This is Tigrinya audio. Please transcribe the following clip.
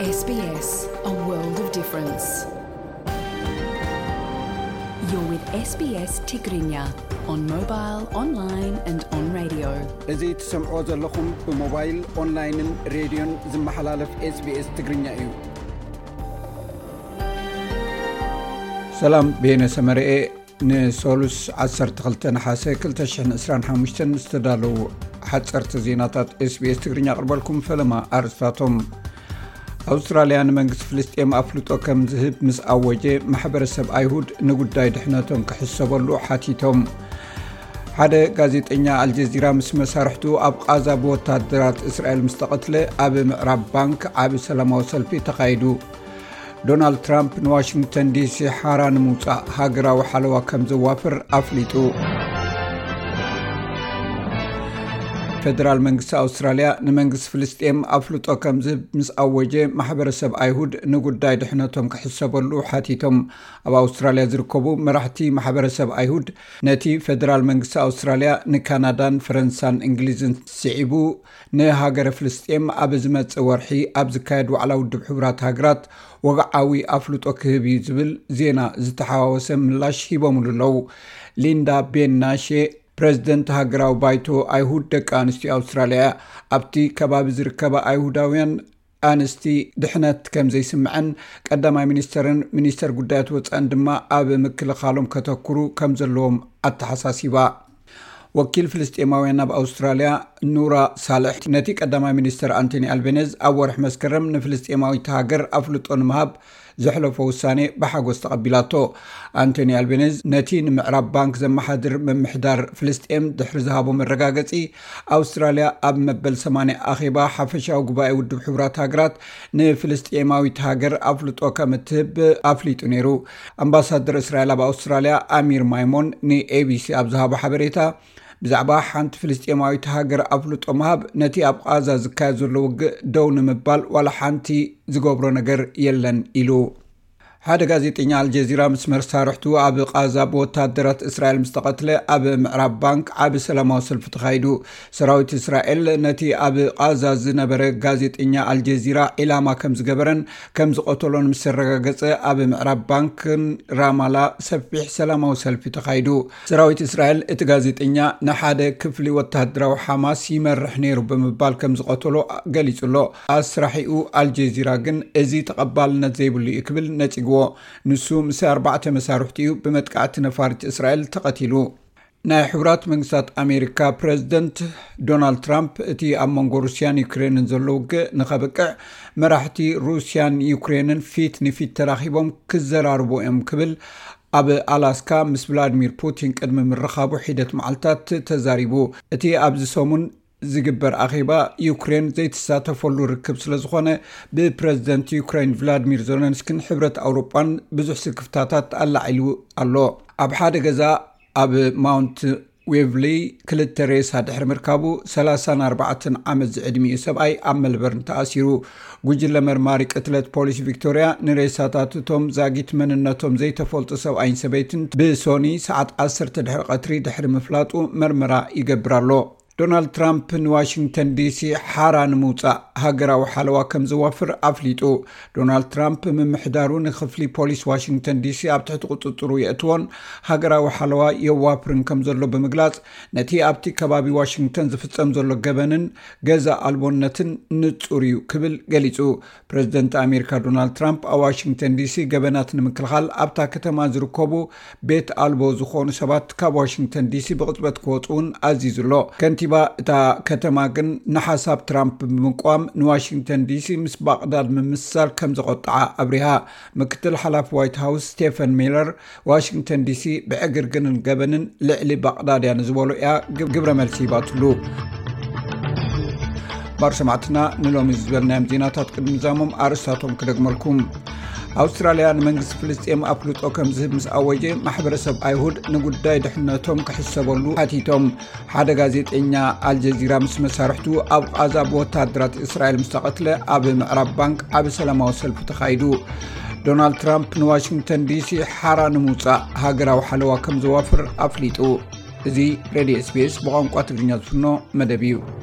S B S, a world of difference. You're with S B S Tigrinya on mobile, online and on radio. እዚ ትሰምዕዎ ዘለኹም ብሞባይል፣ ኦንላይንን ሬድዮን ዝመሓላለፍ SBS ትግርኛ እዩ። ሰላም፣ ቤነ ሰመረኤ። ንሶሉስ ዓሰርተ ክልተ ነሓሰ ክልተ ሽሕን ዕስራን ሓሙሽተን ዝተዳለዉ ሓጸርቲ ዜናታት SBS ትግርኛ ኣቕርበልኩም። ፈለማ ኣርእስታቶም። ኣውስትራልያ ንመንግስቲ ፍልስጤም ኣፍልጦ ከም ዝህብ ምስ ኣወጀ፣ ማሕበረሰብ ኣይሁድ ንጉዳይ ድሕነቶም ክሕሰበሉ ሓቲቶም። ሓደ ጋዜጠኛ ኣልጀዚራ ምስ መሳርሕቱ ኣብ ቓዛ ብወታደራት እስራኤል ምስ ተቐትለ፣ ኣብ ምዕራብ ባንክ ዓቢ ሰላማዊ ሰልፊ ተኻይዱ። ዶናልድ ትራምፕ ንዋሽንግተን ዲሲ ሓራ ንምውጻእ ሃገራዊ ሓለዋ ከም ዘዋፍር ኣፍሊጡ። ፌደራል መንግስቲ ኣውስትራልያ ንመንግስቲ ፍልስጤም ኣፍልጦ ከም ዝህብ ምስ ኣወጀ፣ ማሕበረሰብ ኣይሁድ ንጉዳይ ድሕነቶም ክሕሰበሉ ሓቲቶም። ኣብ ኣውስትራልያ ዝርከቡ መራሕቲ ማሕበረሰብ ኣይሁድ፣ ነቲ ፌደራል መንግስቲ ኣውስትራልያ ንካናዳን ፈረንሳን እንግሊዝን ስዒቡ፣ ንሃገረ ፍልስጤም ኣብ ዝመጽእ ወርሒ ኣብ ዝካየድ ዋዕላ ውድብ ሕቡራት ሃገራት ወግዓዊ ኣፍልጦ ክህብ እዩ ዝብል ዜና ዝተሓዋወሰ ምላሽ ሂቦምሉ ኣለዉ። ሊንዳ ቤን ናሼ፣ ፕረዚደንት ሃገራዊ ባይቶ ኣይሁድ ደቂ ኣንስትዮ ኣውስትራልያ፣ ኣብቲ ከባቢ ዝርከባ ኣይሁዳውያን ኣንስቲ ድሕነት ከም ዘይስምዐን፣ ቀዳማይ ሚኒስተርን ሚኒስተር ጉዳያት ወጻእን ድማ ኣብ ምክልኻሎም ከተኩሩ ከም ዘለዎም ኣተሓሳሲባ። ወኪል ፍልስጤማውያን ኣብ ኣውስትራልያ ኑራ ሳልሕ፣ ነቲ ቀዳማይ ሚኒስተር ኣንቶኒ ኣልቤነዝ ኣብ ወርሒ መስከረም ንፍልስጤማዊት ሃገር ኣፍልጦ ንምሃብ ዘሕለፎ ውሳኔ ብሓጎስ ተቐቢላቶ። ኣንቶኒ ኣልቤነዝ ነቲ ንምዕራብ ባንክ ዘመሓድር ምምሕዳር ፍልስጤም ድሕሪ ዝሃቦ መረጋገጺ፣ ኣውስትራልያ ኣብ መበል ሰማንያ ኣኼባ ሓፈሻዊ ጉባኤ ውድብ ሕቡራት ሃገራት ንፍልስጤማዊት ሃገር ኣፍልጦ ከም እትህብ ኣፍሊጡ ነይሩ። ኣምባሳደር እስራኤል ኣብ ኣውስትራልያ ኣሚር ማይሞን ን ABC ኣብ ዝሃቦ ሓበሬታ፣ ብዛዕባ ሓንቲ ፍልስጤማዊት ሃገር ኣፍልጦ ምሃብ፣ ነቲ ኣብ ቓዛ ዝካየድ ዘሎ ውግእ ደው ንምባል ዋላ ሓንቲ ዝገብሮ ነገር የለን ኢሉ። ሓደ ጋዜጠኛ ኣልጀዚራ ምስ መሳርሕቱ ኣብ ቓዛ ብወታደራት እስራኤል ምስ ተቐትለ፣ ኣብ ምዕራብ ባንክ ዓቢ ሰላማዊ ሰልፊ ተኻይዱ። ሰራዊት እስራኤል ነቲ ኣብ ቓዛ ዝነበረ ጋዜጠኛ ኣልጀዚራ ዒላማ ከም ዝገበረን ከም ዝቐተሎን ምስ ተረጋገጸ፣ ኣብ ምዕራብ ባንክን ራማላ ሰፊሕ ሰላማዊ ሰልፊ ተኻይዱ። ሰራዊት እስራኤል እቲ ጋዜጠኛ ንሓደ ክፍሊ ወተሃደራዊ ሓማስ ይመርሕ ነይሩ ብምባል ከም ዝቐተሎ ገሊጹ ኣሎ። ኣስራሒኡ ኣልጀዚራ ግን እዚ ተቐባልነት ዘይብሉ እዩ ክብል ነጺግዎ። ንሱ ምስ ኣርባዕተ መሳርሕቱ እዩ ብመጥቃዕቲ ነፋሪት እስራኤል ተቐቲሉ። ናይ ሕቡራት መንግስታት ኣሜሪካ ፕረዚደንት ዶናልድ ትራምፕ፣ እቲ ኣብ መንጎ ሩስያን ዩክሬንን ዘሎ ውግእ ንኸብቅዕ፣ መራሕቲ ሩስያን ዩክሬንን ፊት ንፊት ተራኺቦም ክዘራርቡ እዮም ክብል ኣብ ኣላስካ ምስ ቭላድሚር ፑቲን ቅድሚ ምርኻቡ ሒደት መዓልታት ተዛሪቡ። እቲ ኣብዚ ሰሙን ዝግበር ኣኼባ ዩክሬን ዘይትሳተፈሉ ርክብ ስለ ዝኾነ፣ ብፕረዚደንት ዩክሬን ቭላድሚር ዜለንስኪን ሕብረት ኣውሮጳን ብዙሕ ስክፍታታት ኣላዒሉ ኣሎ። ኣብ ሓደ ገዛ ኣብ ማውንት ዌቭሊ ክልተ ሬሳ ድሕሪ ምርካቡ፣ ሰላሳን ኣርባዕተን ዓመት ዝዕድሚኡ ሰብኣይ ኣብ መልበርን ተኣሲሩ። ጉጅለ መርማሪ ቅትለት ፖሊስ ቪክቶርያ ንሬሳታት እቶም ዛጊት መንነቶም ዘይተፈልጡ ሰብኣይን ሰበይትን ብሶኒ ሰዓት ዓሰርተ ድሕሪ ቀትሪ ድሕሪ ምፍላጡ መርመራ ይገብር ኣሎ። ዶናልድ ትራምፕ ንዋሽንግተን ዲሲ ሓራ ንምውጻእ ሃገራዊ ሓለዋ ከም ዘዋፍር ኣፍሊጡ። ዶናልድ ትራምፕ ምምሕዳሩ ንክፍሊ ፖሊስ ዋሽንግተን ዲሲ ኣብ ትሕቲ ቁጽጽሩ የእትዎን ሃገራዊ ሓለዋ የዋፍርን ከም ዘሎ ብምግላጽ፣ ነቲ ኣብቲ ከባቢ ዋሽንግተን ዝፍጸም ዘሎ ገበንን ገዛ ኣልቦነትን ንጹር እዩ ክብል ገሊጹ። ፕረዚደንት ኣሜሪካ ዶናልድ ትራምፕ ኣብ ዋሽንግተን ዲሲ ገበናት ንምክልኻል ኣብታ ከተማ ዝርከቡ ቤት ኣልቦ ዝኾኑ ሰባት ካብ ዋሽንግተን ዲሲ ብቕጽበት ክወጹ እውን ኣዚዙ ኣሎ። ከንቲባ እታ ከተማ ግን ንሓሳብ ትራምፕ ብምቋም ንዋሽንግተን ዲሲ ምስ ባቕዳድ ምምስሳል ከም ዘቖጥዓ ኣብሪሃ። ምክትል ሓላፊ ዋይት ሃውስ ስቴፈን ሚለር ዋሽንግተን ዲሲ ብዕግርግርን ገበንን ልዕሊ ባቕዳድ እያ ንዝበሎ እያ ግብ-፣ ግብረ መልሲ ሂባትሉ። ባር ሰማዕትና ንሎሚ ዝበልናዮም ዜናታት ቅድሚ ምዛሞም ኣርእስታቶም ክደግመልኩም። ኣውስትራልያ ንመንግስቲ ፍልስጤም ኣፍልጦ ከም ዝህብ ምስ ኣወጀ፣ ማሕበረሰብ ኣይሁድ ንጉዳይ ድሕነቶም ክሕሰበሉ ሓቲቶም። ሓደ ጋዜጠኛ ኣልጀዚራ ምስ መሳርሕቱ ኣብ ቓዛ ብወታደራት እስራኤል ምስ ተቐትለ፣ ኣብ ምዕራብ ባንክ ዓቢ ሰላማዊ ሰልፊ ተኻይዱ። ዶናልድ ትራምፕ ንዋሽንግተን ዲሲ ሓራ ንምውጻእ ሃገራዊ ሓለዋ ከም ዘዋፍር ኣፍሊጡ። እዚ ሬድዮ SBS ብቋንቋ ትግርኛ ዝፍኖ መደብ እዩ።